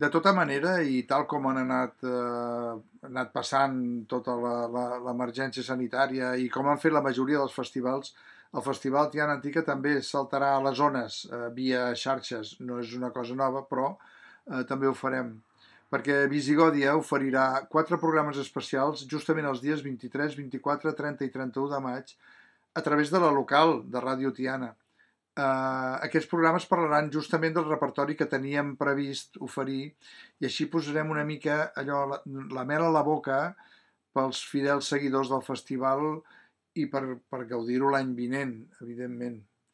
De tota manera, i tal com han anat passant tota l'emergència sanitària i com han fet la majoria dels festivals, el Festival Tiana Antica també saltarà a les zones via xarxes. No és una cosa nova, però també ho farem. Perquè Visigòdia oferirà 4 programes especials justament els dies 23, 24, 30 i 31 de maig a través de la local de Ràdio Tiana. Aquests programes parlaran justament del repertori que teníem previst oferir i així posarem una mica allò, la mel a la boca pels fidels seguidors del festival i per gaudir-ho l'any vinent, evidentment.